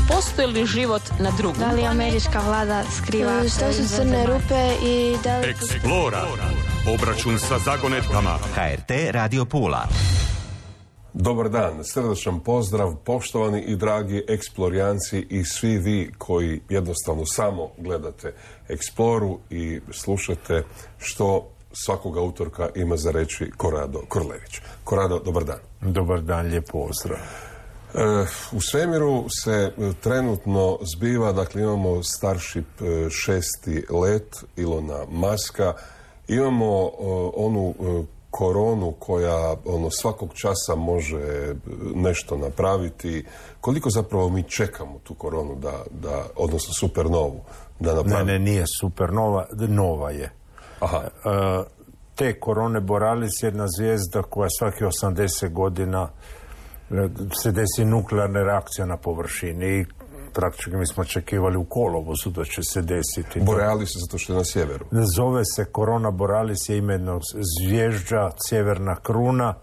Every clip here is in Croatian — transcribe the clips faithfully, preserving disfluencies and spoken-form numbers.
Postoji li život na drugom? Da li američka vlada skriva? Što su crne rupe i da li... Eksplora. Obračun sa zagonetkama. H R T Radio Pula. Dobar dan, srdačan pozdrav, poštovani i dragi eksplorijanci i svi vi koji jednostavno samo gledate Eksploru i slušate što svakoga utorka ima za reći Korado Korlević. Korado, dobar dan. Dobar dan, lijep pozdrav. E, u svemiru se trenutno zbiva, dakle imamo Starship šesti let Ilona Muska, imamo o, onu o, koronu koja ono, svakog časa može nešto napraviti. Koliko zapravo mi čekamo tu koronu, da, da, odnosno supernovu, da napravi? Ne, ne, nije supernova, nova je. Aha. E, te korone borealis je jedna zvijezda koja svaki osamdeset godina se desi nuklearna reakcija na površini i praktički mi smo očekivali u kolovozu da će se desiti. Borealis zato što je na sjeveru. Zove se korona borealis, je ime jednog zvježđa, sjeverna kruna,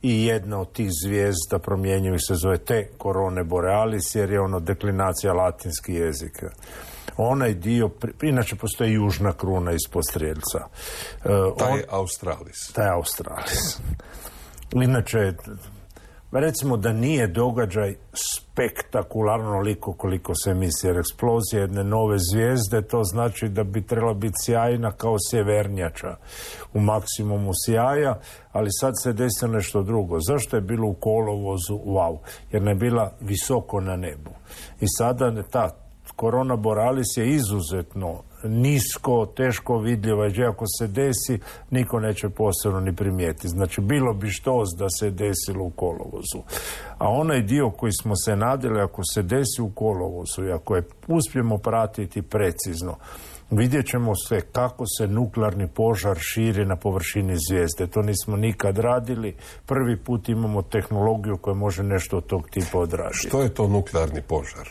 i jedna od tih zvijezda promjenjivih se zove te korone borealis, jer je ono deklinacija latinski jezika. Onaj dio, inače postoji južna kruna ispod Strijelca. Taj On, je Australis. Taj je Australis. Inače, recimo da nije događaj spektakularno onoliko koliko se misli, jer eksplozija jedne nove zvijezde, to znači da bi trebala biti sjajna kao sjevernjača u maksimumu sjaja, ali sad se desilo nešto drugo. Zašto je bilo u kolovozu? Wow, jer ne je bila visoko na nebu. I sada ta korona borealis je izuzetno nisko, teško vidljiva, i ako se desi, niko neće posebno ni primijeti. Znači, bilo bi štos da se desilo u kolovozu. A onaj dio koji smo se nadali, ako se desi u kolovozu i ako je uspijemo pratiti precizno, vidjet ćemo se kako se nuklearni požar širi na površini zvijezde. To nismo nikad radili. Prvi put imamo tehnologiju koja može nešto od tog tipa odraditi. Što je to nuklearni požar?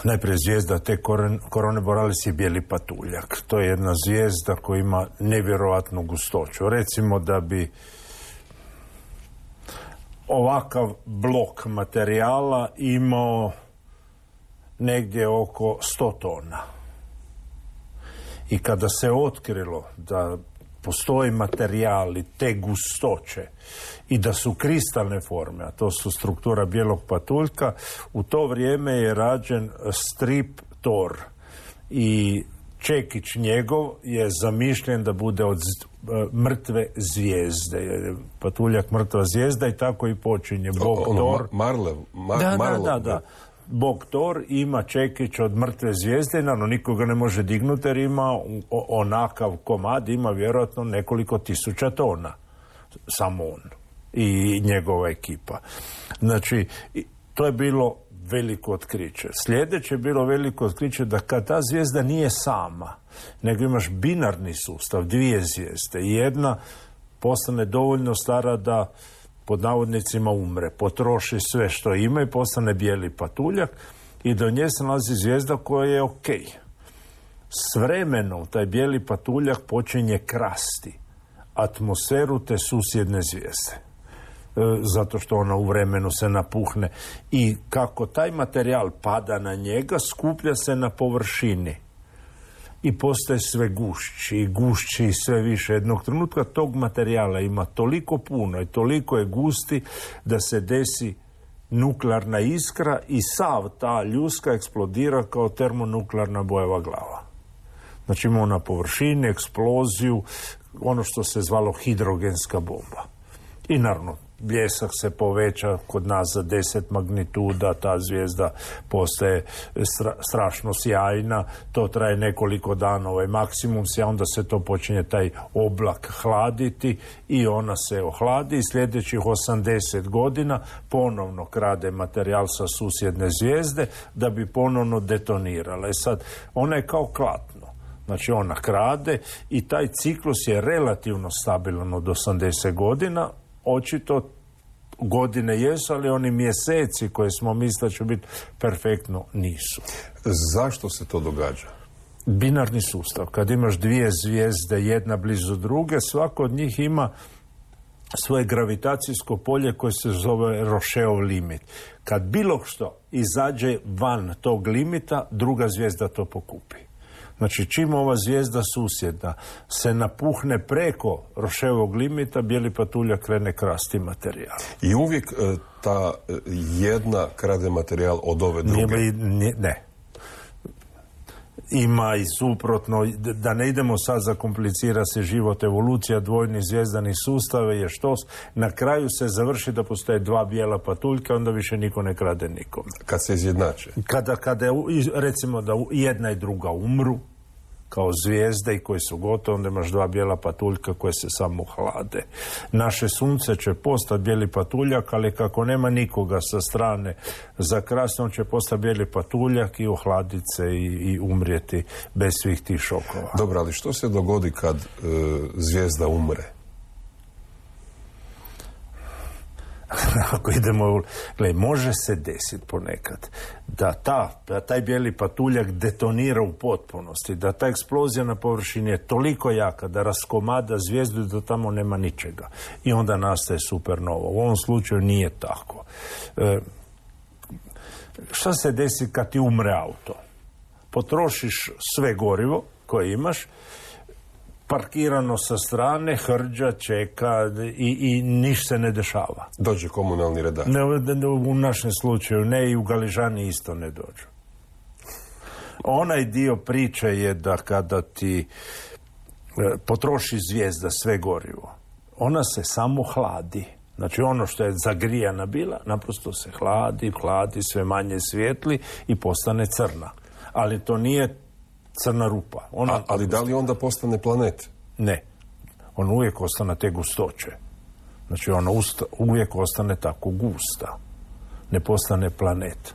Najprije zvijezda te korone borealis je bijeli patuljak. To je jedna zvijezda koja ima nevjerojatnu gustoću. Recimo da bi ovakav blok materijala imao negdje oko sto tona. I kada se otkrilo da postoji materijali te gustoće i da su kristalne forme, a to su struktura bijelog patuljka, u to vrijeme je rađen strip Thor i čekić njegov je zamišljen da bude od mrtve zvijezde. Patuljak mrtva zvijezda i tako i počinje Bog ono, Thor. Marlev, mar, da, Marlev, da, da, da. Bog Thor ima čekić od mrtve zvijezde, naravno nikoga ne može dignuti jer ima onakav komad, ima vjerojatno nekoliko tisuća tona. Samo on i njegova ekipa. Znači, to je bilo veliko otkriće. Sljedeće je bilo veliko otkriće da kad ta zvijezda nije sama, nego imaš binarni sustav, dvije zvijezde, i jedna postane dovoljno stara da pod navodnicima umre, potroši sve što ima i postane bijeli patuljak, i do nje se nalazi zvijezda koja je ok. S vremenom taj bijeli patuljak počinje krasti atmosferu te susjedne zvijezde. E, zato što ona u vremenu se napuhne. I kako taj materijal pada na njega, skuplja se na površini. I postaje sve gušći i gušći i sve više. Jednog trenutka tog materijala ima toliko puno i toliko je gusti da se desi nuklearna iskra i sav ta ljuska eksplodira kao termonuklearna bojeva glava. Znači imamo na površini eksploziju, ono što se zvalo hidrogenska bomba. I naravno, bljesak se poveća kod nas za deset magnituda, ta zvijezda postaje stra, strašno sjajna, to traje nekoliko dana, ovaj maksimum se, onda se to počinje taj oblak hladiti i ona se ohladi i sljedećih osamdeset godina ponovno krade materijal sa susjedne zvijezde da bi ponovno detonirala. I sad, ona je kao klatno. Znači ona krade i taj ciklus je relativno stabilan od osamdeset godina, očito godine jesu, ali oni mjeseci koje smo mislili da će biti perfektno nisu. Zašto se to događa? Binarni sustav. Kad imaš dvije zvijezde, jedna blizu druge, svako od njih ima svoje gravitacijsko polje koje se zove Rocheov limit. Kad bilo što izađe van tog limita, druga zvijezda to pokupi. Znači, čim ova zvijezda susjedna se napuhne preko Rocheovog limita, bijeli patuljak krene krasti materijal. I uvijek e, ta e, jedna krade materijal od ove druge? Ne, ne. Ima i suprotno, da ne idemo sad zakomplicira se život, evolucija dvojnih zvjezdanih sustava je što na kraju se završi da postoje dva bijela patuljka, onda više niko ne krade nikome. Kad se izjednače? Kada, kada je, recimo da jedna i druga umru kao zvijezde i koji su gotovi, onda imaš dva bijela patuljka koje se samo hlade. Naše sunce će postati bijeli patuljak, ali kako nema nikoga sa strane za krasti, on će postati bijeli patuljak i ohladiti se i, i umrijeti bez svih tih šokova. Dobro, ali što se dogodi kad e, zvijezda umre? Ako idemo, gledaj, može se desiti ponekad da, ta, da taj bijeli patuljak detonira u potpunosti, da ta eksplozija na površini je toliko jaka da raskomada zvijezdu i da tamo nema ničega. I onda nastaje supernova. U ovom slučaju nije tako. E, šta se desi kad ti umre auto? Potrošiš sve gorivo koje imaš, parkirano sa strane, hrđa, čeka i, i niš se ne dešava. Dođe komunalni redar? Ne, u našem slučaju ne, i u Galižani isto ne dođu. Onaj dio priče je da kada ti e, potroši zvijezda sve gorivo, ona se samo hladi. Znači ono što je zagrijana bila, naprosto se hladi, hladi, sve manje svijetli i postane crna. Ali to nije crna rupa. Ona, A, ali da li onda postane planet? Ne. On uvijek ostane te gustoće. Znači ona usta, uvijek ostane tako gusta. Ne postane planet.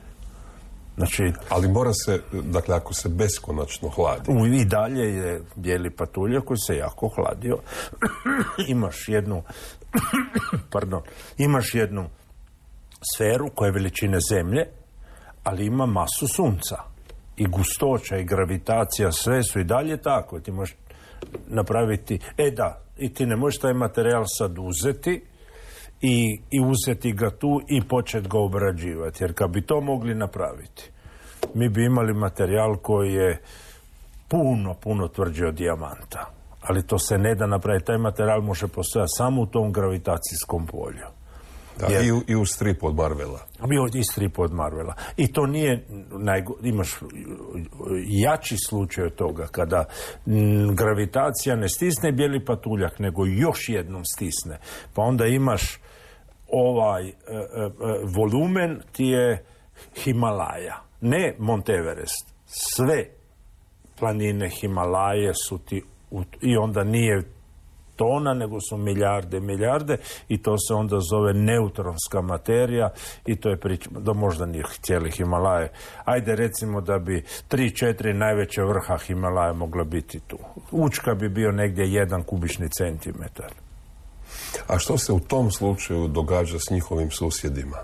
Znači, ali mora se, dakle, ako se beskonačno hladi. U, I dalje je bijeli patuljak koji se jako hladio. Imaš jednu pardon, imaš jednu sferu koja je veličine Zemlje, ali ima masu sunca. I gustoća i gravitacija, sve su i dalje tako. Ti možeš napraviti, e da, i ti ne možeš taj materijal sad uzeti i, i uzeti ga tu i početi ga obrađivati. Jer kad bi to mogli napraviti, mi bi imali materijal koji je puno, puno tvrđi od dijamanta. Ali to se ne da napraviti. Taj materijal može postojati samo u tom gravitacijskom polju. Da, jer, i, u, i u stripu od Marvela. Bio i strip od Marvela. I to nije, najgo, imaš jači slučaj od toga, kada m, gravitacija ne stisne bijeli patuljak, nego još jednom stisne. Pa onda imaš ovaj e, e, volumen ti je Himalaja. Ne Mount Everest. Sve planine Himalaje su ti, u, i onda nije tona, nego su milijarde, milijarde i to se onda zove neutronska materija i to je priča, da možda nije cijeli Himalaje. Ajde recimo da bi tri, četiri najveće vrha Himalaje mogla biti tu. Učka bi bio negdje jedan kubični centimetar. A što se u tom slučaju događa s njihovim susjedima?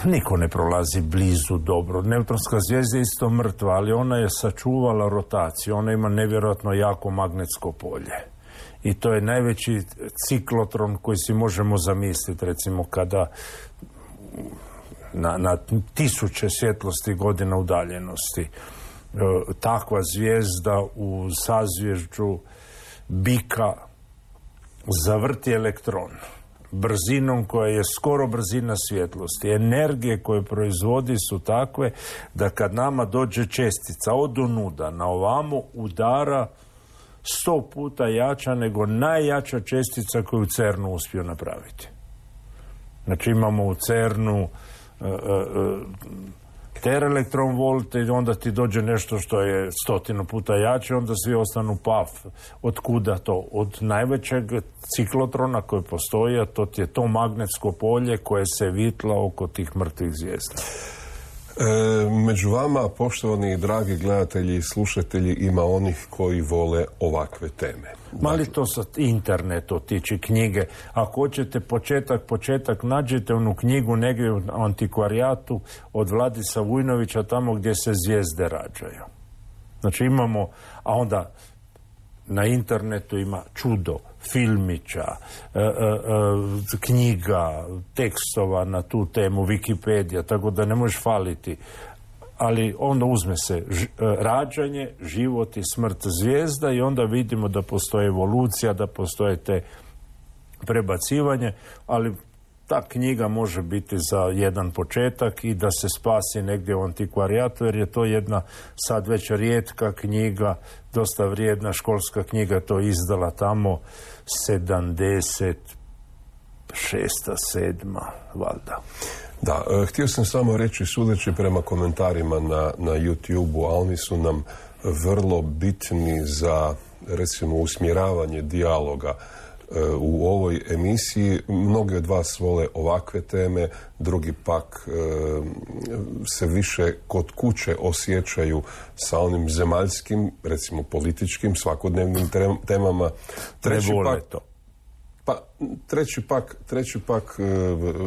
Niko ne prolazi blizu dobro. Neutronska zvijezda je isto mrtva, ali ona je sačuvala rotaciju. Ona ima nevjerojatno jako magnetsko polje. I to je najveći ciklotron koji si možemo zamisliti, recimo kada na, na tisuće svjetlosti godina udaljenosti e, takva zvijezda u sazvježđu bika zavrti elektron brzinom koja je skoro brzina svjetlosti. Energije koje proizvodi su takve da kad nama dođe čestica od onuda na ovamo udara sto puta jača nego najjača čestica koju u CERNu uspio napraviti. Znači imamo u CERNu uh, uh, teraelektron volte i onda ti dođe nešto što je stotinu puta jače, onda svi ostanu paf. Od kuda to? Od najvećeg ciklotrona koji postoji, a to ti je to magnetsko polje koje se vitla oko tih mrtvih zvijezda. E, među vama, poštovani i dragi gledatelji i slušatelji, ima onih koji vole ovakve teme. Mali to sa internetu tiče knjige. Ako hoćete početak, početak, nađete onu knjigu negdje u antikvarijatu od Vladisa Vujnovića, tamo gdje se zvijezde rađaju. Znači imamo, a onda na internetu ima čudo, filmića, e, e, e, knjiga, tekstova na tu temu, Wikipedija, tako da ne možeš faliti. Ali onda uzme se ž, rađanje, život i smrt zvijezda i onda vidimo da postoji evolucija, da postoje te prebacivanje, ali ta knjiga može biti za jedan početak i da se spasi negdje u antikvarijatu, jer je to jedna sad već rijetka knjiga, dosta vrijedna školska knjiga, to izdala tamo sedamdeset šesta, sedma valjda. Da, e, htio sam samo reći, sudeći prema komentarima na, na YouTube-u, a oni su nam vrlo bitni za, recimo, usmjeravanje dijaloga e, u ovoj emisiji. Mnogi od vas vole ovakve teme, drugi pak e, se više kod kuće osjećaju sa onim zemaljskim, recimo političkim, svakodnevnim temama. Treći ne vole pak, to. Pa, treći pak, treći pak e,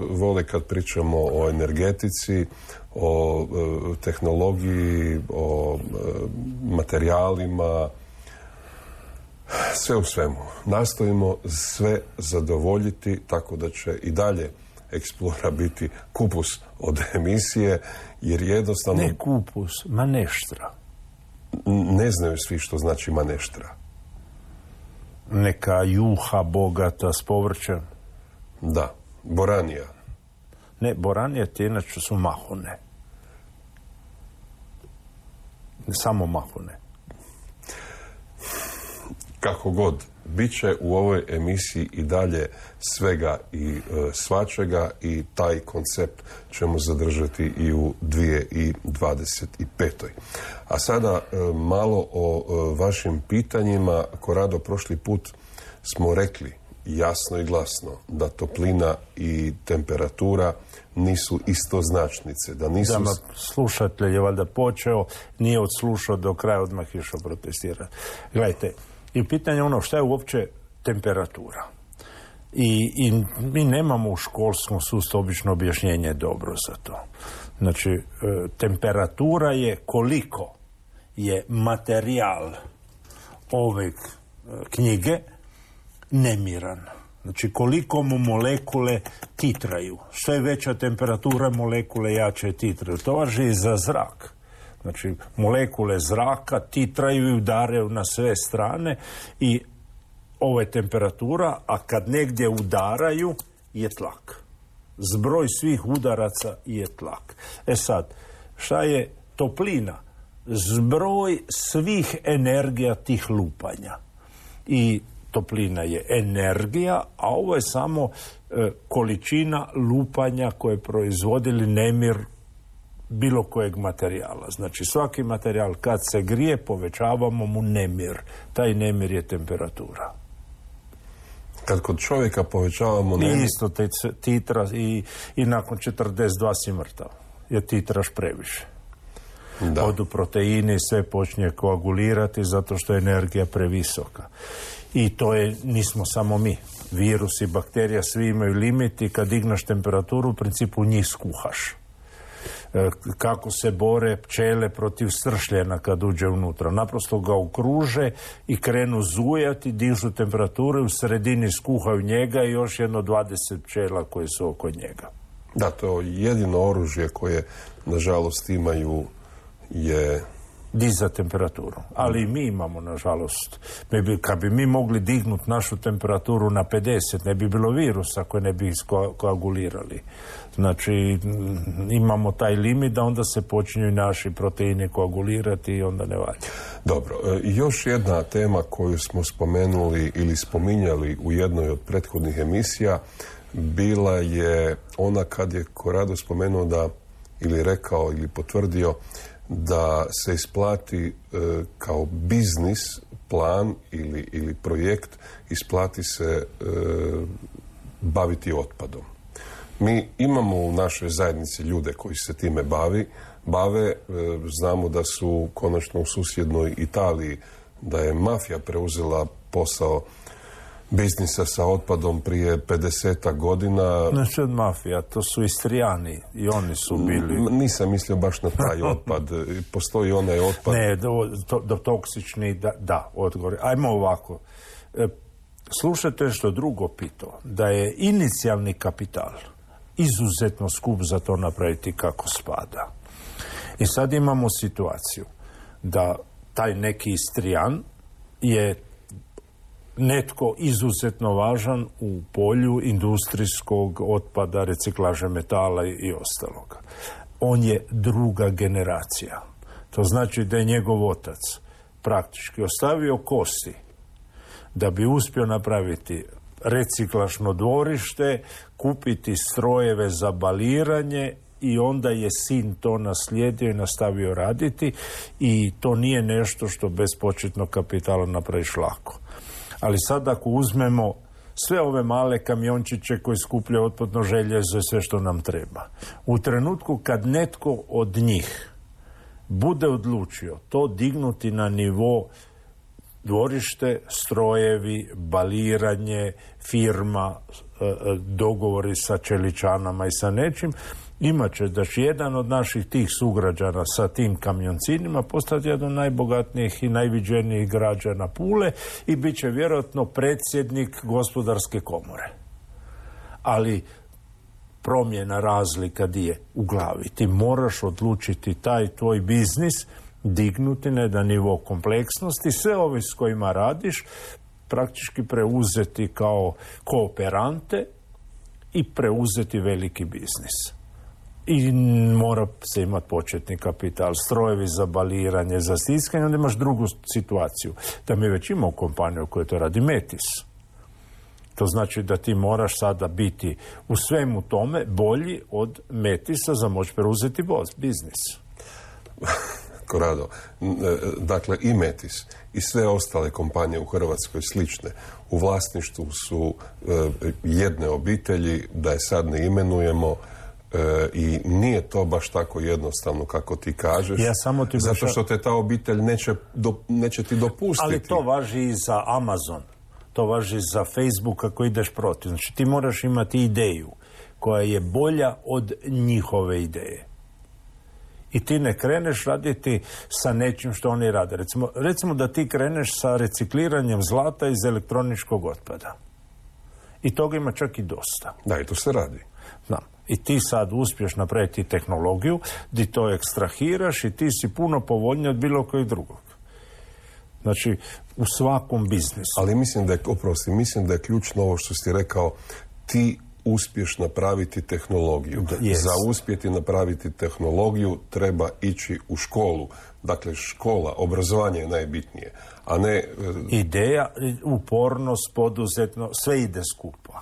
vole kad pričamo o energetici, o e, tehnologiji, o e, materijalima, sve u svemu. Nastojimo sve zadovoljiti, tako da će i dalje Eksplora biti kupus od emisije, jer jednostavno... Ne kupus, maneštra. Ne znaju svi što znači maneštra. Neka juha bogata s povrćem. Da, boranija. Ne, boranije ti inače su mahune. Samo mahune. Kako god, bit će u ovoj emisiji i dalje svega i e, svačega i taj koncept ćemo zadržati i u dvije tisuće dvadeset petoj. A sada e, malo o e, vašim pitanjima. Korado, prošli put smo rekli jasno i glasno da toplina i temperatura nisu istoznačnice. Da nisu... Da, ma, slušatelj je valjda počeo, nije odslušao do kraja, odmah išao protestirati. Gledajte, i pitanje ono šta je uopće temperatura. I, i mi nemamo u školskom sustavu obično objašnjenje dobro za to. Znači, e, temperatura je koliko je materijal ove e, knjige nemiran. Znači, koliko mu molekule titraju. Što je veća temperatura, molekule jače titraju. To važi i za zrak. Znači, molekule zraka titraju i udaraju na sve strane i ovo je temperatura, a kad negdje udaraju je tlak. Zbroj svih udaraca je tlak. E sad, šta je toplina? Zbroj svih energija tih lupanja. I toplina je energija, a ovo je samo e, količina lupanja koje proizvodili nemir bilo kojeg materijala. Znači, svaki materijal kad se grije, povećavamo mu nemir. Taj nemir je temperatura. Kad kod čovjeka povećavamo nemir... I isto te titra i, i nakon četrdeset dva si mrtav. Jer titraš previše. Da. Odu proteini, sve počinje koagulirati zato što je energija previsoka. I to je, nismo samo mi. Virus i bakterija svi imaju limit i kad digneš temperaturu, u principu njih skuhaš. Kako se bore pčele protiv sršljena kad uđe unutra. Naprosto ga okruže i krenu zujati, dižu temperature, u sredini skuhaju njega i još jedno dvadeset pčela koje su oko njega. Da, to jedino oružje koje, nažalost, imaju je... Diza temperaturu. Ali i mi imamo, nažalost. Mi bi, kad bi mi mogli dignuti našu temperaturu na pedeset, ne bi bilo virusa koje ne bi koagulirali. Znači, imamo taj limit da onda se počinju naši proteini koagulirati i onda ne valja. Dobro, e, još jedna tema koju smo spomenuli ili spominjali u jednoj od prethodnih emisija bila je ona kad je Korado spomenuo da, ili rekao ili potvrdio da se isplati e, kao biznis plan ili, ili projekt, isplati se e, baviti otpadom. Mi imamo u našoj zajednici ljude koji se time bavi, bave, e, znamo da su konačno u susjednoj Italiji, da je mafija preuzela posao biznisa sa otpadom prije pedesetak godina. Znači od mafija, to su Istrijani i oni su bili... Nisam mislio baš na taj otpad. Postoji onaj otpad... Ne, do, to, do toksični, da, da, odgovor. Ajmo ovako. E, slušajte što drugo pitao, da je inicijalni kapital izuzetno skup za to napraviti kako spada. I sad imamo situaciju da taj neki Istrijan je netko izuzetno važan u polju industrijskog otpada, reciklaže metala i ostaloga. On je druga generacija. To znači da je njegov otac praktički ostavio kosti da bi uspio napraviti reciklažno dvorište, kupiti strojeve za baliranje i onda je sin to naslijedio i nastavio raditi i to nije nešto što bez početnog kapitala napraviš lako. Ali sad ako uzmemo sve ove male kamiončiće koji skupljaju otpadno željezo i sve što nam treba, u trenutku kad netko od njih bude odlučio to dignuti na nivo dvorište, strojevi, baliranje, firma, dogovori sa čeličanama i sa nečim, imat će da će jedan od naših tih sugrađana sa tim kamioncinima postati jedan od najbogatnijih i najviđenijih građana Pule i bit će vjerojatno predsjednik gospodarske komore. Ali promjena, razlika di je u glavi. Ti moraš odlučiti taj tvoj biznis dignuti na jedan nivo kompleksnosti, sve ove s kojima radiš praktički preuzeti kao kooperante i preuzeti veliki biznis. I mora se imati početni kapital, strojevi za baliranje, za stiskanje, onda imaš drugu situaciju. Da mi već imamo kompaniju koja to radi, Metis. To znači da ti moraš sada biti u svemu tome bolji od Metisa za moći preuzeti biznis. Korado, dakle i Metis i sve ostale kompanije u Hrvatskoj slične u vlasništvu su jedne obitelji, da je sad ne imenujemo, E, i nije to baš tako jednostavno kako ti kažeš, ja samo ti zato što te ta obitelj neće, do, neće ti dopustiti. Ali to važi i za Amazon, to važi za Facebook ako ideš protiv. Znači ti moraš imati ideju koja je bolja od njihove ideje. I ti ne kreneš raditi sa nečim što oni rade. Recimo, recimo da ti kreneš sa recikliranjem zlata iz elektroničkog otpada. I toga ima čak i dosta. Da, i to se radi. Znam. I ti sad uspješ napraviti tehnologiju gdje to ekstrahiraš i ti si puno povoljniji od bilo kojeg drugog. Znači, u svakom biznisu. Ali mislim da je, oprosti, mislim da je ključno ovo što si rekao, ti uspješ napraviti tehnologiju. Yes. Za uspjeti napraviti tehnologiju treba ići u školu. Dakle, škola, obrazovanje je najbitnije, a ne... Ideja, upornost, poduzetno, sve ide skupa.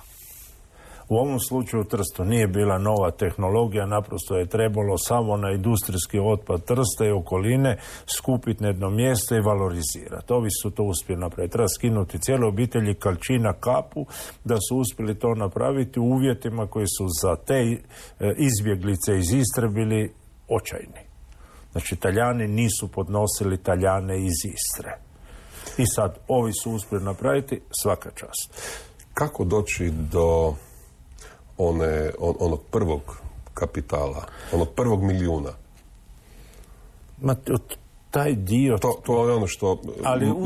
U ovom slučaju u Trstu nije bila nova tehnologija, naprosto je trebalo samo na industrijski otpad Trsta i okoline skupiti na jedno mjesto i valorizirati. Ovi su to uspjeli napraviti. Treba skinuti cijele obitelji Kalčina kapu da su uspjeli to napraviti u uvjetima koji su za te izbjeglice iz Istre bili očajni. Znači, Talijani nisu podnosili Talijane iz Istre. I sad, ovi su uspjeli napraviti, svaka čast. Kako doći do one, on, onog prvog kapitala, onog prvog milijuna? Ma, taj dio... To, to je ono što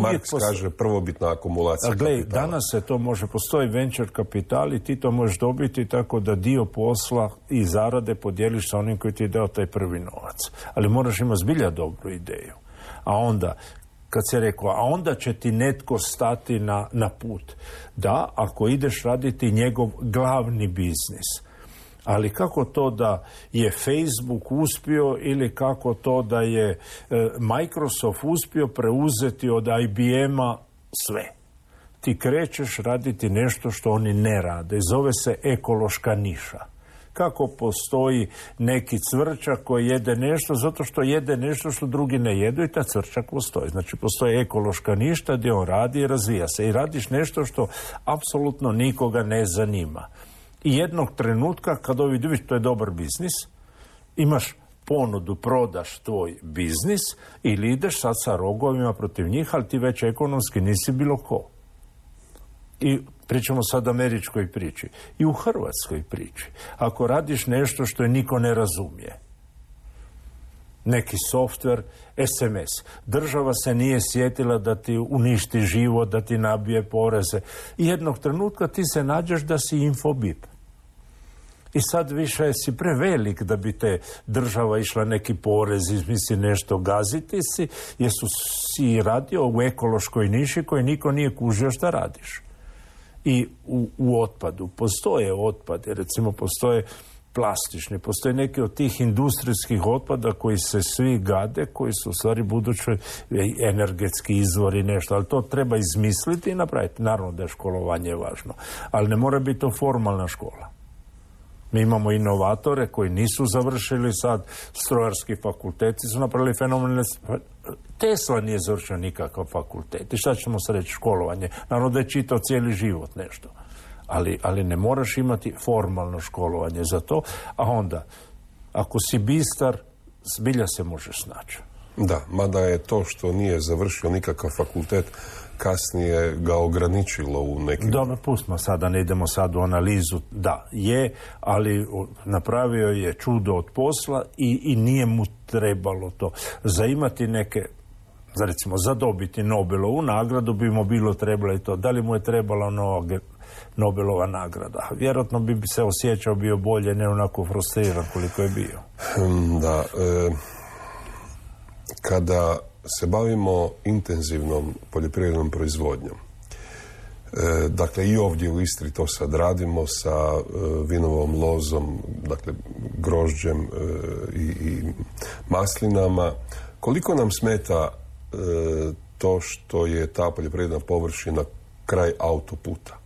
Marks pos... kaže prvobitna akumulacija glej, kapitala. Danas se to može, postoji venture kapital i ti to možeš dobiti tako da dio posla i zarade podijeliš sa onim koji ti je dao taj prvi novac. Ali moraš imati zbilja dobru ideju. A onda, kad se rekao, a onda će ti netko stati na, na put. Da, ako ideš raditi njegov glavni biznis. Ali kako to da je Facebook uspio ili kako to da je e, Microsoft uspio preuzeti od I B M-a sve. Ti krećeš raditi nešto što oni ne rade. Zove se ekološka niša. Kako postoji neki cvrčak koji jede nešto zato što jede nešto što drugi ne jedu i ta cvrčak postoji. Znači postoji ekološka ništa gdje on radi i razvija se. I radiš nešto što apsolutno nikoga ne zanima. I jednog trenutka kad ovi vidiš to je dobar biznis, imaš ponudu, prodaš tvoj biznis ili ideš sad sa rogovima protiv njih, ali ti već ekonomski nisi bilo ko. I pričamo sad o američkoj priči. I u hrvatskoj priči. Ako radiš nešto što je niko ne razumije, neki softver, es em es. Država se nije sjetila da ti uništi život, da ti nabije poreze. I jednog trenutka ti se nađeš da si infobip. I sad više si prevelik da bi te država išla neki porez, izmisli nešto, gaziti si, jer su si radio u ekološkoj niši koji niko nije kužio šta radiš. I u, u otpadu postoje otpade, recimo postoje plastični, postoje neki od tih industrijskih otpada koji se svi gade, koji su u stvari budući energetski izvori, nešto, ali to treba izmisliti i napraviti. Naravno da je školovanje važno, ali ne mora biti to formalna škola. Mi imamo inovatore koji nisu završili sad strojarski fakulteti, su napravili fenomenalne... Tesla nije završio nikakav fakultet. I šta ćemo se reći, školovanje? Naravno da je čitao cijeli život nešto. Ali, ali ne moraš imati formalno školovanje za to, a onda, ako si bistar, zbilja se možeš snaći. Da, mada je to što nije završio nikakav fakultet, kasnije ga ograničilo u nekim... Dobro, pustimo sada, ne idemo sad u analizu. Da, je, ali napravio je čudo od posla i, i nije mu trebalo to. Za imati neke, za recimo, za dobiti Nobelovu nagradu bi mu bilo trebalo i to. Da li mu je trebala nova Nobelova nagrada? Vjerojatno bi se osjećao bio bolje, ne onako frustriran koliko je bio. Da, e, kada se bavimo intenzivnom poljoprivrednom proizvodnjom, e, dakle i ovdje u Istri to sad radimo sa e, vinovom lozom, dakle grožđem e, i, i maslinama, koliko nam smeta e, to što je ta poljoprivredna površina kraj autoputa?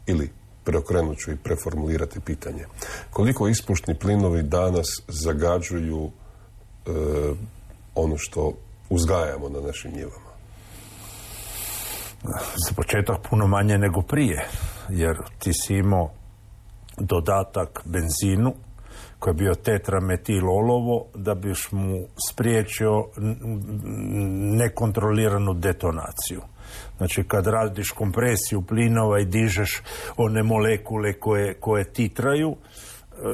Ili, preokrenut ću i preformulirati pitanje, koliko ispušni plinovi danas zagađuju e, ono što uzgajamo na našim njivama? Za početak puno manje nego prije, jer ti si imao dodatak benzinu koji je bio tetrametil olovo da biš mu spriječio nekontroliranu detonaciju. Znači, kad radiš kompresiju plinova i dižeš one molekule koje, koje titraju,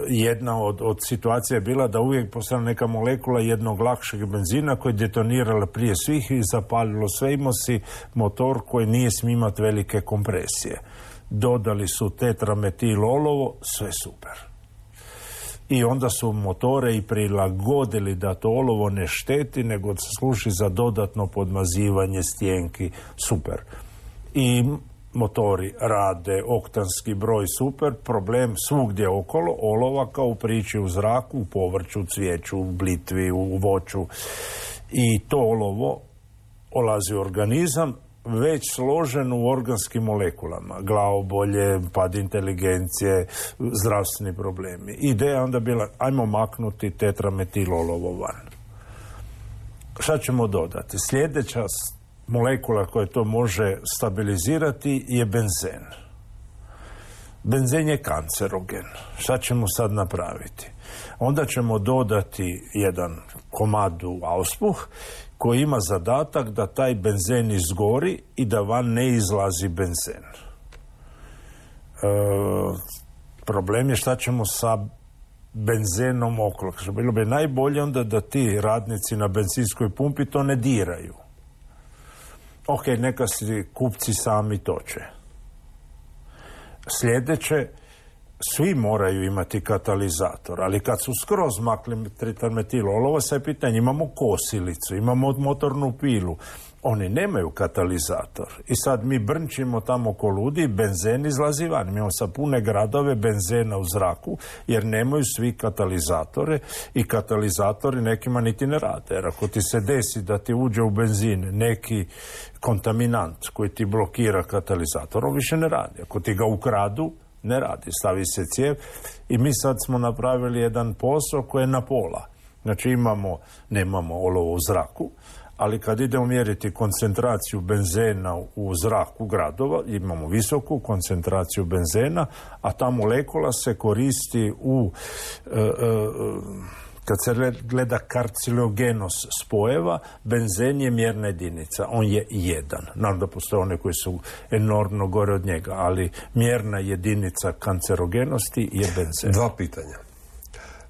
jedna od, od situacija je bila da uvijek postala neka molekula jednog lakšeg benzina koji je detonirala prije svih i zapalilo sve. Imao si motor koji nije smio imati velike kompresije. Dodali su tetrametil olovo, sve super. I onda su motore i prilagodili da to olovo ne šteti, nego se služi za dodatno podmazivanje stjenki, super. I motori rade, oktanski broj super, problem svugdje okolo, olova kao u priči u zraku, u povrću, cvijeću, u blitvi, u voću. I to olovo olazi u organizam, već složen u organskim molekulama. Glavobolje, pad inteligencije, zdravstveni problemi. Ideja onda bila, ajmo maknuti tetrametil olovo van. Šta ćemo dodati? Sljedeća molekula koja to može stabilizirati je benzen. Benzen je kancerogen. Šta ćemo sad napraviti? Onda ćemo dodati jedan komadu auspuh koji ima zadatak da taj benzen izgori i da van ne izlazi benzen. E, problem je šta ćemo sa benzenom okolo. Bilo bi najbolje onda da ti radnici na benzinskoj pumpi to ne diraju. Ok, neka si kupci sami toče. Sljedeće, svi moraju imati katalizator, ali kad su skroz makli tetrametil olovo, sad je pitanje, imamo kosilicu, imamo motornu pilu, oni nemaju katalizator. I sad mi brnčimo tamo ko ludi i benzen izlazi van. Mi imamo sad pune gradove benzena u zraku, jer nemaju svi katalizatore i katalizatori nekima niti ne rade. Jer ako ti se desi da ti uđe u benzin neki kontaminant koji ti blokira katalizator, on više ne radi. Ako ti ga ukradu, ne radi, stavi se cijev i mi sad smo napravili jedan posao koji je na pola. Znači imamo, nemamo olovo u zraku, ali kad idemo mjeriti koncentraciju benzena u zraku gradova, imamo visoku koncentraciju benzena, a ta molekula se koristi u... E, e, kad se gleda karcinogenost spojeva, benzen je mjerna jedinica. On je jedan. Naravno da postoje one koji su enormno gore od njega, ali mjerna jedinica kancerogenosti je benzen. Dva pitanja.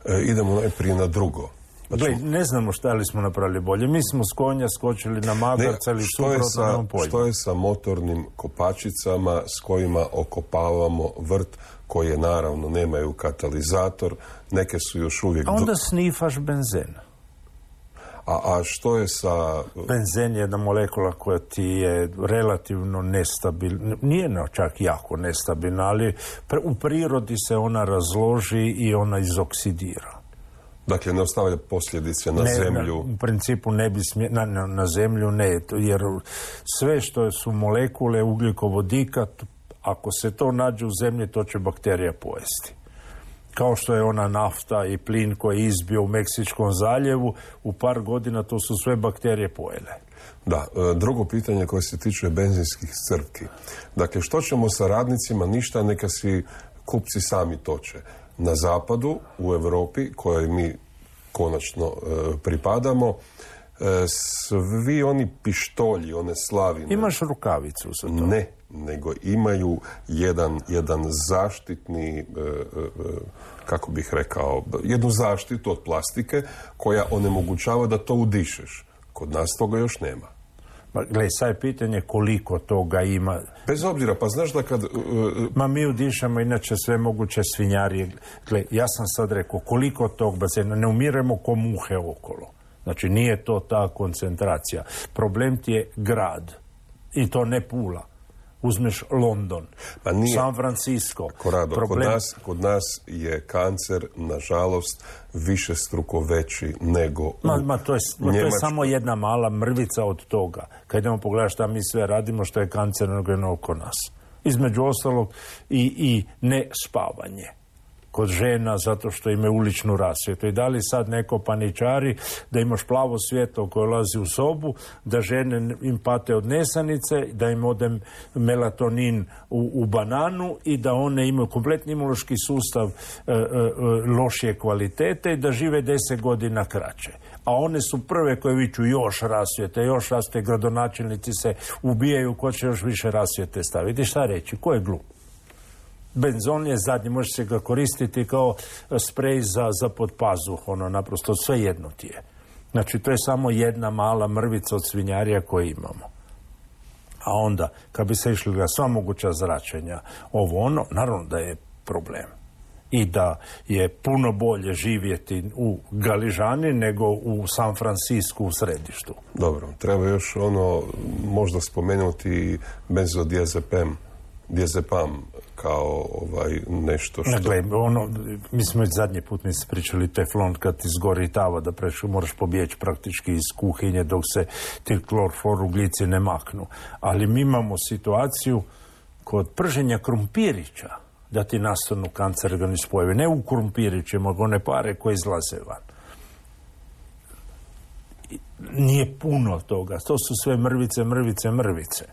E, idemo najprije na drugo. Pa Gle, ne znamo šta li smo napravili bolje. Mi smo s konja skočili na magarca ili suprotno nam pojma. Što je sa motornim kopačicama s kojima okopavamo vrt, koje naravno nemaju katalizator, neke su još uvijek... A onda snifaš benzen. A, a što je sa... Benzen je jedna molekula koja ti je relativno nestabilna, nije no, čak jako nestabilna, ali u prirodi se ona razloži i ona izoksidira. Dakle, ne ostavlja posljedice na ne, zemlju? Na, u principu ne bi smije, na, na, na zemlju ne, jer sve što su molekule ugljikovodika, ako se to nađe u zemlji, to će bakterija pojesti. Kao što je ona nafta i plin koji je izbio u Meksičkom zaljevu, u par godina to su sve bakterije pojele. Da, drugo pitanje koje se tiče benzinskih crpki. Dakle, što ćemo sa radnicima? Ništa, neka si kupci sami toče. Na zapadu, u Europi, kojoj mi konačno e, pripadamo, e, svi oni pištolji, one slavine... Imaš rukavicu za to? Ne, nego imaju jedan, jedan zaštitni, e, e, kako bih rekao, jednu zaštitu od plastike koja onemogućava da to udišeš. Kod nas toga još nema. Gle, sad je pitanje koliko toga ima. Bez obzira, pa znaš da kad... Uh, Ma mi udišemo inače sve moguće svinjarije. Gle, ja sam sad rekao koliko tog bazena, ne umiremo ko muhe okolo. Znači nije to ta koncentracija. Problem ti je grad. I to ne Pula. Uzmeš London, pa nije, San Francisco. Korado, Problem... kod, nas, kod nas je kancer, nažalost, višestruko veći nego u ma, ma, to, je, ma, to je samo jedna mala mrvica od toga. Kad idemo pogledati šta mi sve radimo, što je kancerogeno oko nas. Između ostalog i, i ne spavanje kod žena zato što imaju uličnu rasvjetu. I da li sad neko paničari da imaš plavo svjetlo koje ulazi u sobu, da žene im pate od nesanice, da im ode melatonin u, u bananu i da one imaju kompletni imunološki sustav e, e, lošije kvalitete i da žive deset godina kraće. A one su prve koje viču još rasvjete, još rasvjete, gradonačelnici se ubijaju, ko će još više rasvjete staviti. Šta reći? Ko je glup? Benzon je zadnji, može se ga koristiti kao sprej za, za pod pazuh, ono naprosto sve jedno ti je. Znači to je samo jedna mala mrvica od svinjarija koje imamo. A onda, kad bi se išli ga sva moguća zračenja, ovo ono, naravno da je problem. I da je puno bolje živjeti u Galižani nego u San Francisku u središtu. Dobro, treba još ono, možda spomenuti benzodiazepam, diazepam kao ovaj nešto što... Gle, ono, mi smo već zadnji put mi se pričali teflon kad ti zgori tava da preš, moraš pobjeći praktički iz kuhinje dok se ti klorfluoroglici ne maknu. Ali mi imamo situaciju kod prženja krumpirića da ti nastanu kancerogeni spojevi. Ne u krumpirićima, nego one pare koje izlaze van. Nije puno toga. To su sve mrvice, mrvice, mrvice.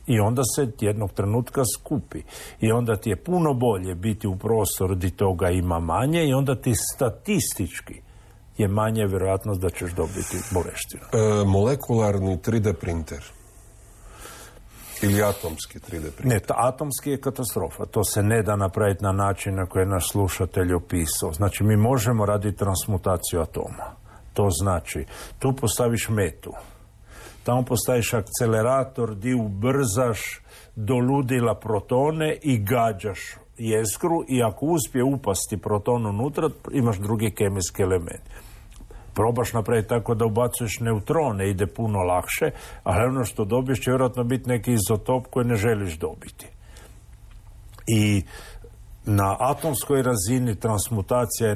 I onda se jednog trenutka skupi. I onda ti je puno bolje biti u prostoru gdje toga ima manje i onda ti statistički je manje vjerojatnost da ćeš dobiti bolestinu. E, molekularni tri D printer. Ili atomski tri D printer. Ne, ta, atomski je katastrofa. To se ne da napraviti na način na koji je naš slušatelj opisao. Znači, mi možemo raditi transmutaciju atoma. To znači, tu postaviš metu. Tamo postaviš akcelerator di ubrzaš do ludila protone i gađaš jezgru i ako uspije upasti proton unutra, imaš drugi kemijski element. Probaš napraviti tako da ubacuješ neutrone, ide puno lakše, ali ono što dobiješ će vjerojatno biti neki izotop koji ne želiš dobiti. I na atomskoj razini transmutacija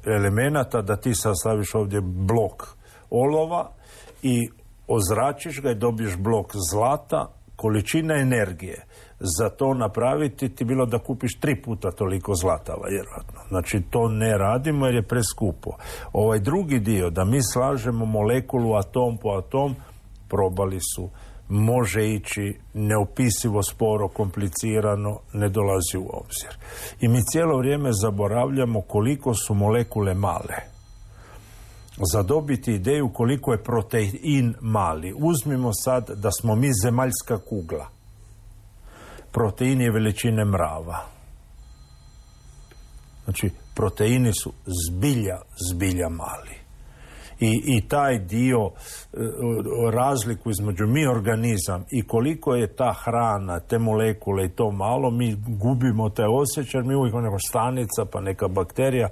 elemenata da ti sastaviš ovdje blok olova i ozračiš ga i dobiješ blok zlata, količina energije za to napraviti ti bilo da kupiš tri puta toliko zlatava, vjerojatno. Znači, to ne radimo jer je preskupo. Ovaj drugi dio, da mi slažemo molekulu atom po atom, probali su, može ići neopisivo sporo, komplicirano, ne dolazi u obzir. I mi cijelo vrijeme zaboravljamo koliko su molekule male. Za dobiti ideju koliko je protein mali. Uzmimo sad da smo mi zemaljska kugla. Protein je veličine mrava. Znači, proteini su zbilja, zbilja mali. I, i taj dio, razliku između mi organizam i koliko je ta hrana, te molekule i to malo, mi gubimo taj osjećaj, mi uvijek neka stanica pa neka bakterija,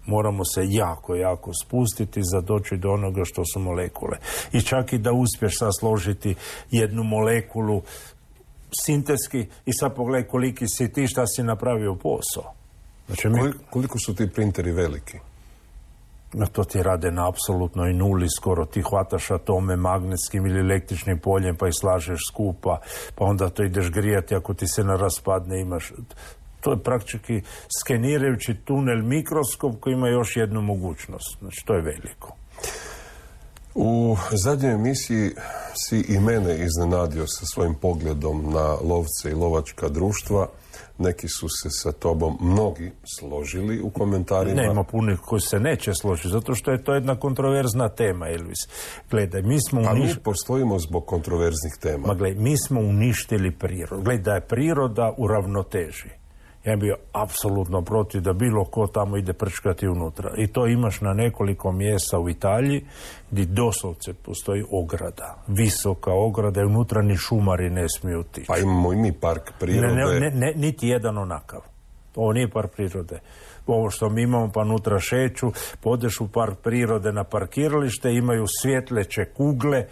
moramo se jako, jako spustiti za doći do onoga što su molekule. I čak i da uspješ sad složiti jednu molekulu sintetski i sad pogledaj koliki si ti, šta si napravio posao. Znači, mi... Koliko su ti printeri veliki? No, to ti rade na apsolutnoj nuli, skoro ti hvataš atome magnetskim ili električnim poljem pa ih slažeš skupa, pa onda to ideš grijati, ako ti se ne raspadne imaš... To je praktički skenirajući tunel mikroskop koji ima još jednu mogućnost. Znači, to je veliko. U zadnjoj emisiji si i mene iznenadio sa svojim pogledom na lovce i lovačka društva. Neki su se sa tobom mnogi složili u komentarima. Nema punih koji se neće složiti, zato što je to jedna kontroverzna tema, Elvis. Gledaj, mi smo uništili... uniš... A mi postojimo zbog kontroverznih tema. Ma gledaj, mi smo uništili prirodu. Gledaj, da je priroda u ravnoteži. Ja bio apsolutno protiv da bilo ko tamo ide prčkati unutra. I to imaš na nekoliko mjesta u Italiji gdje doslovce postoji ograda. Visoka ograda i unutra ni šumari ne smiju otići. Pa imamo i mi park prirode. Ne, ne, ne, niti jedan onakav. Ovo nije park prirode. Ovo što mi imamo pa unutra šeću, podeš u park prirode na parkiralište, imaju svjetleće kugle,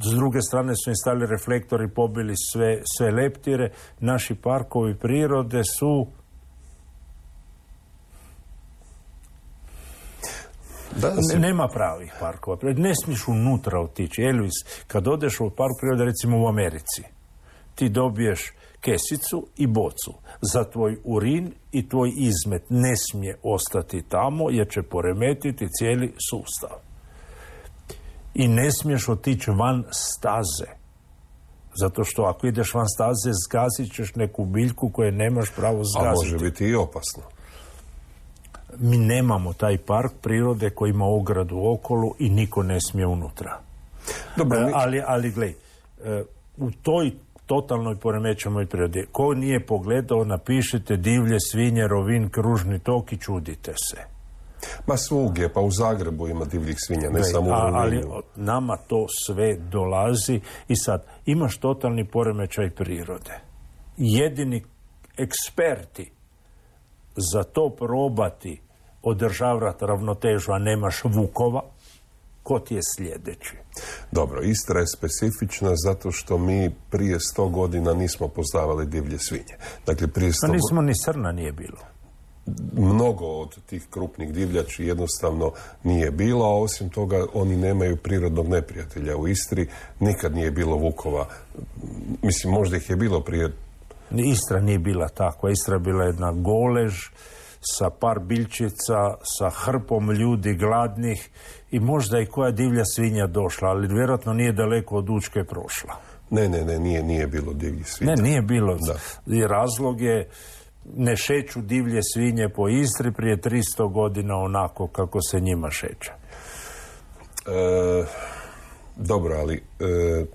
s druge strane su im stali reflektori, pobili sve, sve leptire. Naši parkovi prirode su... Da, ne, nema pravih parkova. Ne smiješ unutra otići. Elvis, kad odeš u park prirode, recimo u Americi, ti dobiješ kesicu i bocu. Za tvoj urin i tvoj izmet ne smije ostati tamo jer će poremetiti cijeli sustav. I ne smiješ otići van staze. Zato što ako ideš van staze, zgazit ćeš neku biljku koje nemaš pravo zgaziti. A može biti i opasno. Mi nemamo taj park prirode koji ima ogradu okolo i niko ne smije unutra. Dobro, mi... Ali, ali glej, u toj totalnoj poremećenoj prirodi, ko nije pogledao, napišite divlje svinje, Rovin, kružni tok i čudite se. Ma svugdje, pa u Zagrebu ima divljih svinja, ne Daj, samo u Rovinju. Ali nama to sve dolazi i sad imaš totalni poremećaj prirode. Jedini eksperti za to probati održavati ravnotežu, a nemaš vukova, ko ti je sljedeći? Dobro, Istra je specifična zato što mi prije sto godina nismo poznavali divlje svinje. Dakle, prije sto... No, nismo ni srna nije bilo. Mnogo od tih krupnih divljači jednostavno nije bilo, a osim toga oni nemaju prirodnog neprijatelja. U Istri nikad nije bilo vukova. Mislim, možda ih je bilo prije... Istra nije bila takva. Istra je bila jedna golež sa par biljčica, sa hrpom ljudi gladnih i možda i koja divlja svinja došla, ali vjerojatno nije daleko od Učke prošla. Ne, ne, ne, nije, nije bilo divljih svinja. Ne, nije bilo. Da. I razlog je, ne šeću divlje svinje po Istri prije tristo godina onako kako se njima šeće. E, dobro, ali e,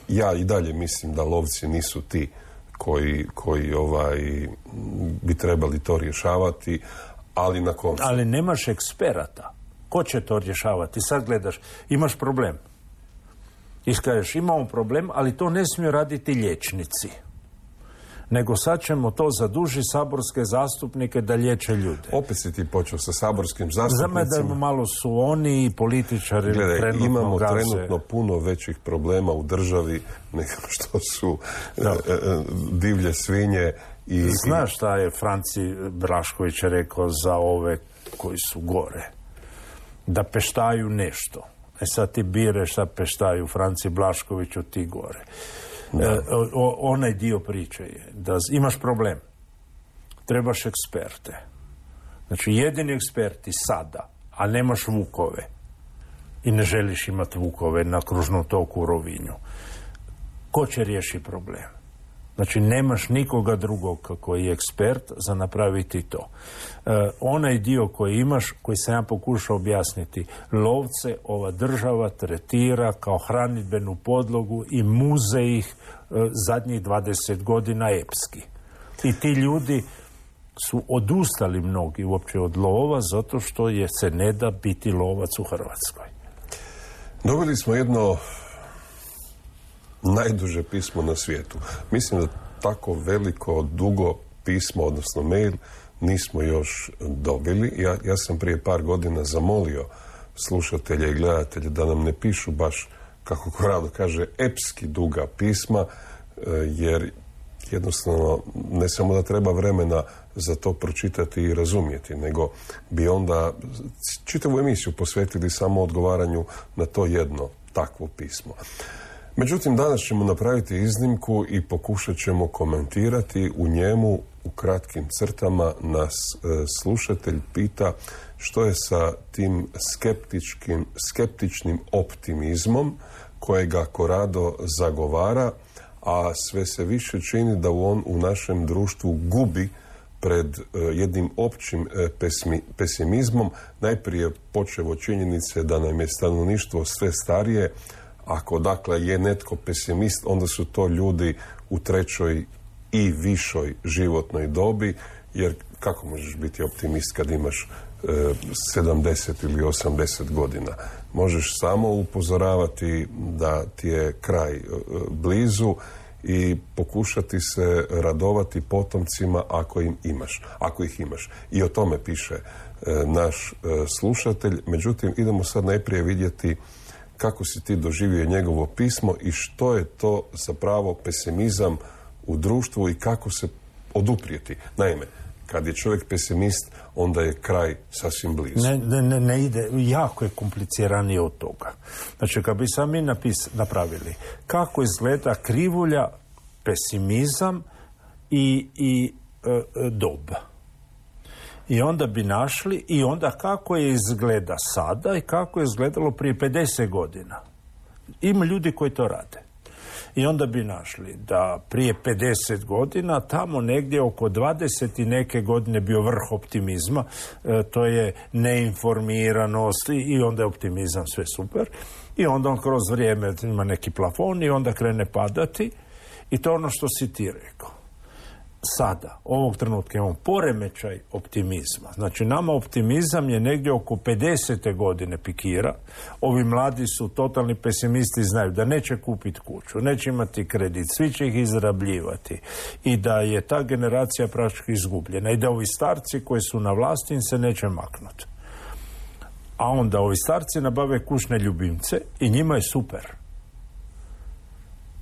ja i dalje mislim da lovci nisu ti koji, koji ovaj, bi trebali to rješavati, ali na koncu... Ali nemaš eksperata. Ko će to rješavati? Sad gledaš, imaš problem. Iskažeš, imamo problem, ali to ne smiju raditi liječnici. Nego sad ćemo to zadužiti saborske zastupnike da liječe ljude. Opet si ti počeo sa saborskim zastupnicima. Za me da malo su oni i političari. Gledaj, trenutno imamo gaze. trenutno puno većih problema u državi nego što su e, e, divlje svinje. I, Znaš šta je Franci Blašković rekao za ove koji su gore? Da peštaju nešto. E sad ti bireš šta peštaju Franci Blaškoviću, ti gore. E, o, onaj dio priče je da imaš problem, trebaš eksperte. Znači jedini eksperti sada, a nemaš vukove i ne želiš imati vukove na kružnom toku u Rovinju, ko će riješiti problem? Znači nemaš nikoga drugog koji je ekspert za napraviti to. E, onaj dio koji imaš, koji sam ja pokušao objasniti, lovce ova država tretira kao hranidbenu podlogu i muze ih e, zadnjih dvadeset godina epski. I ti ljudi su odustali mnogi uopće od lova zato što je se ne da biti lovac u Hrvatskoj. Dobili smo jedno najduže pismo na svijetu. Mislim da tako veliko, dugo pismo, odnosno mail, nismo još dobili. Ja, ja sam prije par godina zamolio slušatelja i gledatelja da nam ne pišu baš, kako Korado kaže, epski duga pisma, jer jednostavno ne samo da treba vremena za to pročitati i razumjeti, nego bi onda čitavu emisiju posvetili samo odgovaranju na to jedno takvo pismo. Međutim, danas ćemo napraviti iznimku i pokušat ćemo komentirati u njemu u kratkim crtama. Nas e, slušatelj pita što je sa tim skeptičkim, skeptičnim optimizmom kojega Korado zagovara, a sve se više čini da on u našem društvu gubi pred e, jednim općim e, pesmi, pesimizmom. Najprije počevo činjenice da nam je stanovništvo sve starije. Ako dakle je netko pesimist, onda su to ljudi u trećoj i višoj životnoj dobi, jer kako možeš biti optimist kad imaš e, sedamdeset ili osamdeset godina? Možeš samo upozoravati da ti je kraj e, blizu i pokušati se radovati potomcima ako im imaš, ako ih imaš. I o tome piše e, naš e, slušatelj. Međutim, idemo sad najprije vidjeti kako si ti doživio njegovo pismo i što je to zapravo pesimizam u društvu i kako se oduprijeti. Naime, kad je čovjek pesimist, onda je kraj sasvim blizu. Ne, ne, ne ide, jako je kompliciranije od toga. Znači, kad bi sami napis, napravili kako izgleda krivulja, pesimizam i, i e, doba. I onda bi našli i onda kako je izgleda sada i kako je izgledalo prije pedeset godina. Ima ljudi koji to rade. I onda bi našli da prije pedeset godina, tamo negdje oko dvadeset i neke godine bio vrh optimizma, e, to je neinformiranost i, i onda je optimizam sve super. I onda on kroz vrijeme ima neki plafon i onda krene padati i to je ono što si ti rekao. Sada, ovog trenutka imamo poremećaj optimizma. Znači, nama optimizam je negdje oko pedesete godine pikira. Ovi mladi su totalni pesimisti, znaju da neće kupiti kuću, neće imati kredit, svi će ih izrabljivati i da je ta generacija praktički izgubljena i da ovi starci koji su na vlasti im se neće maknuti. A onda ovi starci nabave kućne ljubimce i njima je super.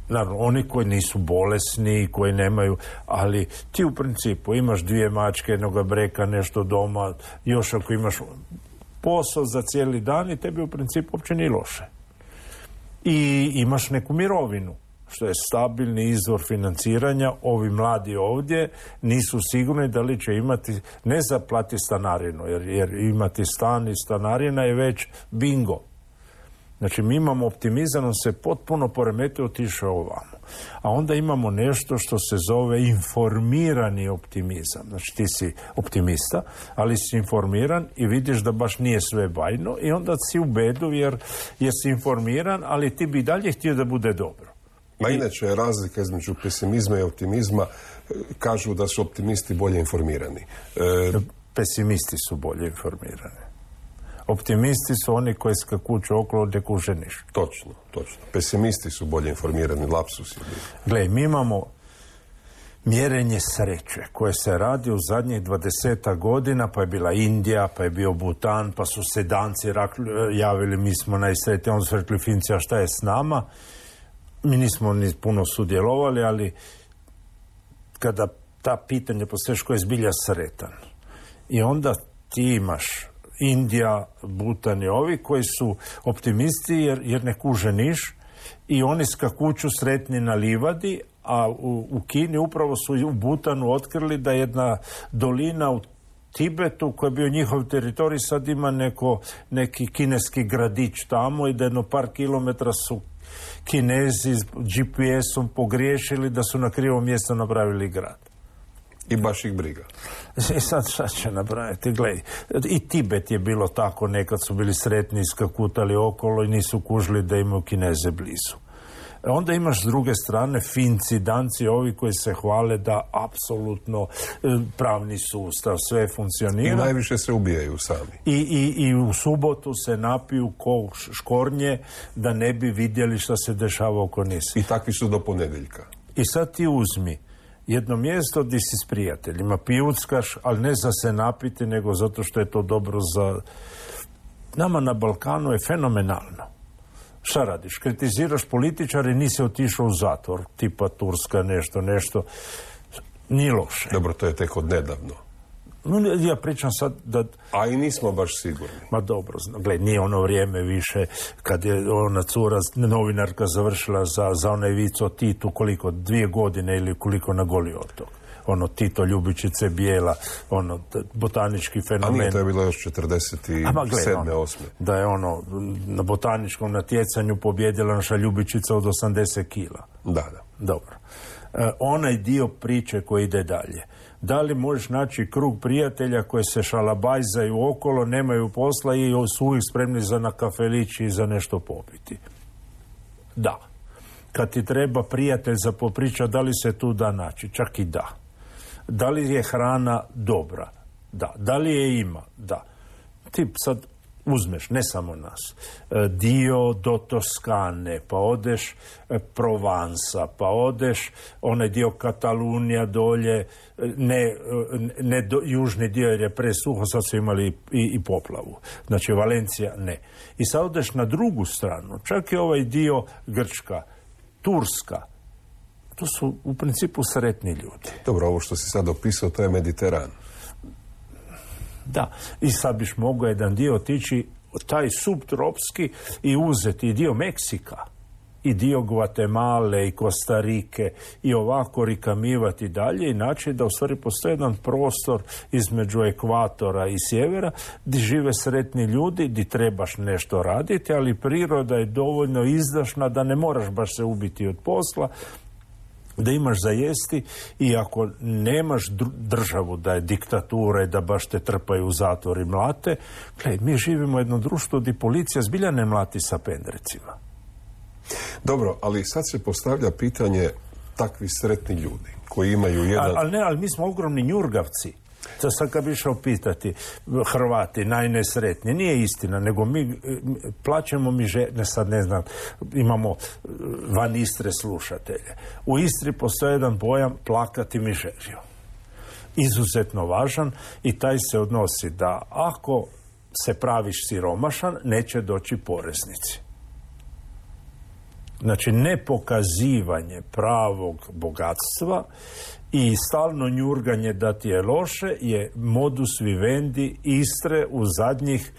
Naravno, oni koji nisu bolesni, koji nemaju, ali ti u principu imaš dvije mačke, jednoga breka, nešto doma, još ako imaš posao za cijeli dan i tebi u principu uopće nije loše. I imaš neku mirovinu, što je stabilni izvor financiranja. Ovi mladi ovdje nisu sigurni da li će imati, ne za plati stanarinu, jer, jer imati stan i stanarina je već bingo. Znači, mi imamo optimizam, on se potpuno poremetio, otišao ovamo. A onda imamo nešto što se zove informirani optimizam. Znači, ti si optimista, ali si informiran i vidiš da baš nije sve bajno i onda si u bedu jer jesi informiran, ali ti bi dalje htio da bude dobro. Ma inače, razlika između pesimizma i optimizma, kažu da su optimisti bolje informirani. E... Pesimisti su bolje informirani. Optimisti su oni koji skakuću okolo ne kuže niš. Točno, točno. Pesimisti su bolje informirani, lapsusi. Gle, mi imamo mjerenje sreće koje se radi u zadnjih dvadesetak godina, pa je bila Indija, pa je bio Butan, pa su se Danci javili, mi smo najsretniji, onda su rekli Finci, a šta je s nama? Mi nismo ni puno sudjelovali, ali kada ta pitanja postojiš ko je zbilja sretan. I onda ti imaš Indija, Butan i ovi koji su optimisti jer, jer ne kuže niš i oni skakuću sretni na livadi, a u, u Kini upravo su u Butanu otkrili da jedna dolina u Tibetu koji je bio njihov teritorij sad ima neko, neki kineski gradić tamo i da jedno par kilometra su Kinezi s G P S-om pogriješili da su na krivom mjestu napravili grad. I baš ih briga. I sad šta će napraviti? Gledaj, i Tibet je bilo tako, nekad su bili sretni, skakutali okolo i nisu kužili da imaju Kineze blizu. Onda imaš s druge strane Finci, Danci, ovi koji se hvale da apsolutno pravni sustav, sve funkcionira. I najviše se ubijaju sami. I, i, i u subotu se napiju ko škornje da ne bi vidjeli što se dešava oko nisi. I takvi su do ponedjeljka. I sad ti uzmi jedno mjesto gdje si s prijateljima, pijuckaš, ali ne za se napiti, nego zato što je to dobro za... Nama na Balkanu je fenomenalno. Šta radiš? Kritiziraš političare, nisi otišao u zatvor, tipa Turska, nešto, nešto. Nije loše. Dobro, to je tek od nedavno. Ja pričam sad da... A i nismo baš sigurni. Ma dobro, gled, nije ono vrijeme više kad je ona cura, novinarka završila za, za onaj vic o Titu, koliko, dvije godine ili koliko na Goli otok. Ono, Tito, Ljubičice, Bijela, ono, botanički fenomen. A nije, to je bilo još četrdeset sedme osme Da je ono, na botaničkom natjecanju pobjedila naša Ljubičica od osamdeset kila. Da, da. Dobro. E, onaj dio priče koji ide dalje. Da li možeš naći krug prijatelja koji se šalabajzaju okolo, nemaju posla i su uvijek spremni za na kafelići i za nešto popiti? Da. Kad ti treba prijatelj za popriča, da li se tu da naći? Čak i da. Da li je hrana dobra? Da. Da li je ima? Da. Ti sad uzmeš, ne samo nas, dio do Toskane, pa odeš Provansa, pa odeš onaj dio Katalunija dolje, ne, ne do, južni dio jer je presuho, sad su imali i, i poplavu. Znači Valencija ne. I sad odeš na drugu stranu, čak i ovaj dio Grčka, Turska, to su u principu sretni ljudi. Dobro, ovo što si sad opisao, to je Mediteran. Da, i sad biš mogao jedan dio otići taj subtropski i uzeti i dio Meksika, i dio Gvatemale i Kostarike i ovako rikamivati dalje i naći da u stvari postoji jedan prostor između ekvatora i sjevera gdje žive sretni ljudi, gdje trebaš nešto raditi, ali priroda je dovoljno izdašna da ne moraš baš se ubiti od posla, da imaš za jesti i ako nemaš državu da je diktatura i da baš te trpaju u zatvor i mlate, gledaj, mi živimo u jednom društvu gdje policija zbilja ne mlati sa pendrecima. Dobro, ali sad se postavlja pitanje takvi sretni ljudi koji imaju jedan... Ali ne, ali mi smo ogromni njurgavci. To sad kad bi išao pitati Hrvati, najnesretniji, nije istina, nego mi plaćamo mi žene, sad ne znam, imamo van Istre slušatelje. U Istri postoji jedan pojam plakati mižeriju. Izuzetno važan i taj se odnosi da ako se praviš siromašan, neće doći poreznici. Znači, nepokazivanje pravog bogatstva i stalno njurganje da ti je loše je modus vivendi Istre u zadnjih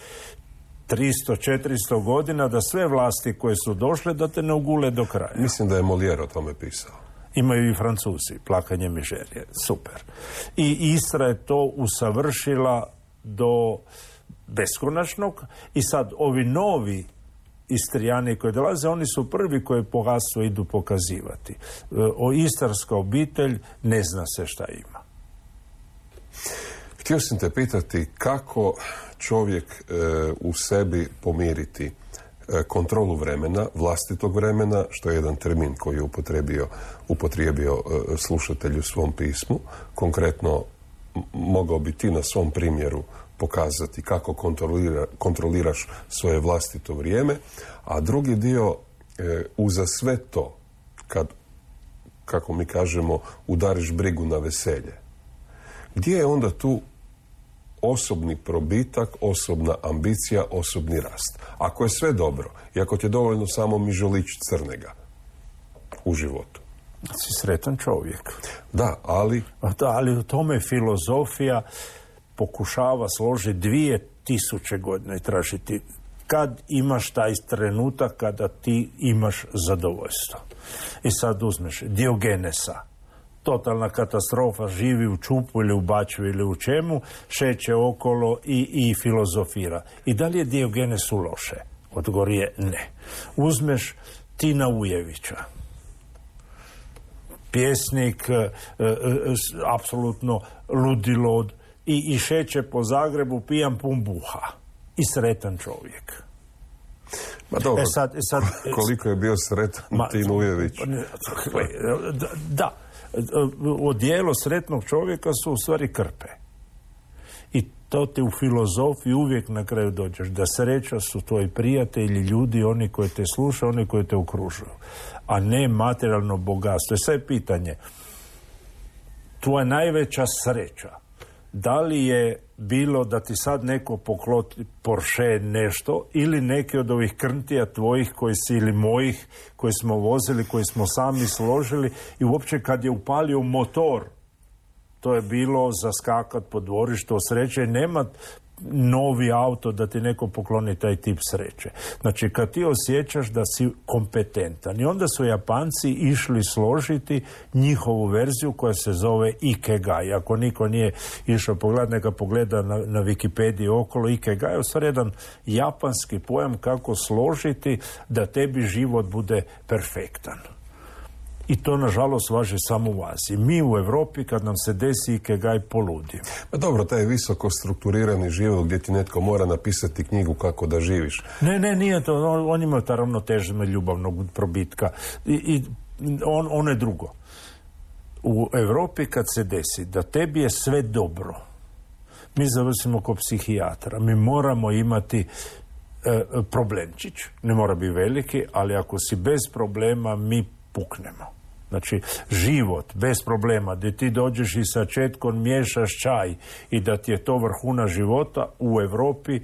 tristo četiristo godina, da sve vlasti koje su došle da te ne ugule do kraja. Mislim da je Molière o tome pisao. Imaju i Francuzi, plakanje mižerije. Super. I Istra je to usavršila do beskonačnog i sad ovi novi Istrijani koji dolaze, oni su prvi koji bogatstvo idu pokazivati. O istarska obitelj ne zna se šta ima. Htio sam te pitati kako čovjek e, u sebi pomiriti e, kontrolu vremena, vlastitog vremena, što je jedan termin koji je upotrijebio, upotrijebio e, slušatelj u svom pismu. Konkretno, m- mogao bi ti na svom primjeru pokazati kako kontrolira, kontroliraš svoje vlastito vrijeme, a drugi dio e, uza sve to, kad, kako mi kažemo, udariš brigu na veselje. Gdje je onda tu osobni probitak, osobna ambicija, osobni rast? Ako je sve dobro i ako ti je dovoljno samo mižolić crnega u životu. Si sretan čovjek. Da, ali... Da, ali u tome filozofija pokušava složiti dvije tisuće godina i tražiti kad imaš taj trenutak kada ti imaš zadovoljstvo. I sad uzmeš Diogenesa, totalna katastrofa, živi u čupu ili u bačvi ili u čemu, šeće okolo i, i filozofira. I da li je Diogenesu loše? Odgovor je ne. Uzmeš Tina Ujevića, pjesnik, e, e, apsolutno ludilo i, i šeće po Zagrebu pijan pun buha i sretan čovjek. Ma dobro, E sad, e sad, koliko je bio sretan Ma, Tin Ujević. Da, da, odijelo sretnog čovjeka su u stvari krpe. I to te u filozofiji uvijek na kraju dođeš, da sreća su tvoji prijatelji, ljudi, oni koji te slušaju, oni koji te okružuju, a ne materijalno bogatstvo. I sad je pitanje, tvoja najveća sreća, da li je bilo da ti sad neko pokloti Porsche nešto ili neke od ovih krntija tvojih koji si ili mojih koji smo vozili, koji smo sami složili i uopće kad je upalio motor, to je bilo zaskakat po dvorištu od sreće i nema novi auto da ti neko pokloni taj tip sreće. Znači kad ti osjećaš da si kompetentan. I onda su Japanci išli složiti njihovu verziju koja se zove Ikigai. Ako niko nije išao pogledati, neka pogleda na, na Wikipediji okolo. Ikigai je u stvari jedan japanski pojam kako složiti da tebi život bude perfektan. I to, nažalost, važi samo u Aziji. Mi u Europi, kad nam se desi Ikigai, poludimo. Pa dobro, taj visoko strukturirani život gdje ti netko mora napisati knjigu kako da živiš. Ne, ne, nije to. On, on ima ta ravnoteža ljubavnog probitka. I, i on, on je drugo. U Europi kad se desi da tebi je sve dobro, mi završimo kod psihijatra. Mi moramo imati e, problemčić. Ne mora biti veliki, ali ako si bez problema, mi puknemo. Znači, život bez problema, gdje ti dođeš i sa četkom miješaš čaj i da ti je to vrhuna života, u Europi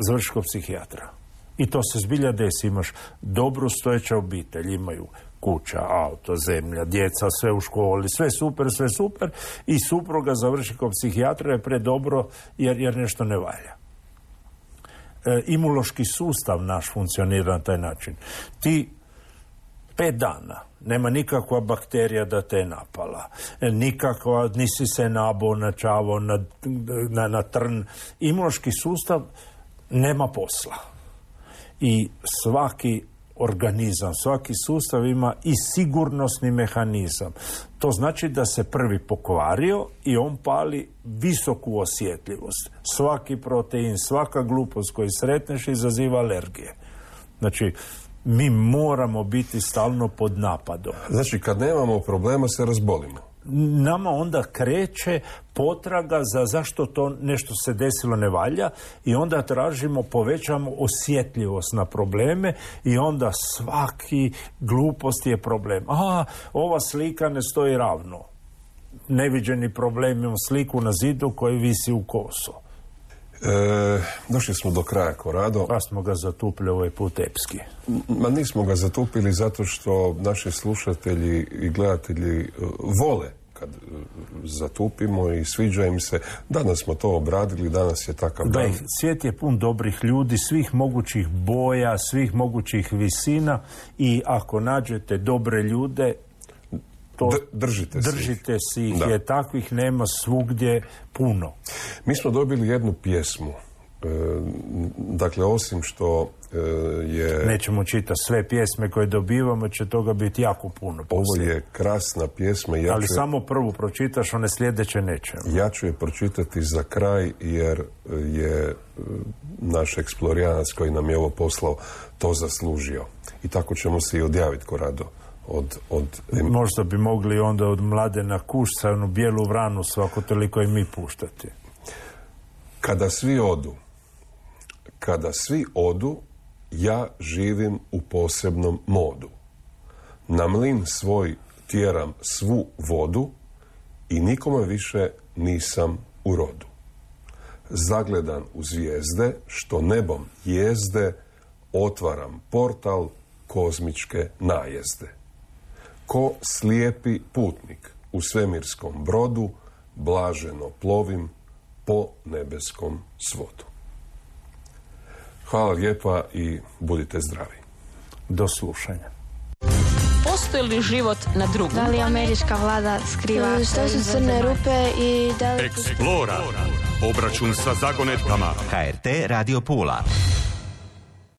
završiš kod psihijatra. I to se zbilja desi. Imaš dobru stojeća obitelj, imaju kuća, auto, zemlja, djeca, sve u školi, sve super, sve super i supruga završi kod psihijatra je predobro jer, jer nešto ne valja. E, imunološki sustav naš funkcionira na taj način. Ti pet dana nema nikakva bakterija da te je napala, nikakva, nisi se nabo, načavo na, na, na trn. Imunološki sustav nema posla. I svaki organizam, svaki sustav ima i sigurnosni mehanizam. To znači da se prvi pokvario i on pali visoku osjetljivost. Svaki protein, svaka glupost koju sretneš izaziva alergije. Znači, mi moramo biti stalno pod napadom. Znači, kad nemamo problema, se razbolimo. Nama onda kreće potraga za zašto to nešto se desilo ne valja i onda tražimo, povećamo osjetljivost na probleme i onda svaki glupost je problem. A, ova slika ne stoji ravno. Neviđeni problem, imamo sliku na zidu koji visi u kosu. E, došli smo do kraja, Korado. Pa smo ga zatupili ovaj put epski. Ma nismo ga zatupili zato što naši slušatelji i gledatelji uh, vole kad uh, zatupimo i sviđa im se. Danas smo to obradili, danas je takav da, dan. Svijet je pun dobrih ljudi, svih mogućih boja, svih mogućih visina i ako nađete dobre ljude, to držite, držite si ih, jer takvih nema svugdje puno. Mi smo dobili jednu pjesmu. E, dakle, osim što e, je... Nećemo čitati sve pjesme koje dobivamo, će toga biti jako puno. Poslije. Ovo je krasna pjesma. Ja Ali ću samo prvu pročitaš, one sljedeće nećemo. Ja ću je pročitati za kraj, jer je naš eksplorijanac koji nam je ovo poslao to zaslužio. I tako ćemo se i odjaviti, Korado. Od, od... Možda bi mogli onda od Mladena Kušca onu bijelu vranu svako toliko i mi puštati. Kada svi odu, kada svi odu, ja živim u posebnom modu. Na mlin svoj tjeram svu vodu i nikome više nisam u rodu. Zagledan u zvijezde, što nebom jezde, otvaram portal kozmičke najezde. Ko slijepi putnik u svemirskom brodu, blaženo plovim po nebeskom svodu. Hvala lijepa i budite zdravi. Do slušanja. Postoji li život na drugom? Da li američka vlada skriva Što su crne rupe i da li... Explora. Obračun sa zagonetkama. H R T Radio Pula.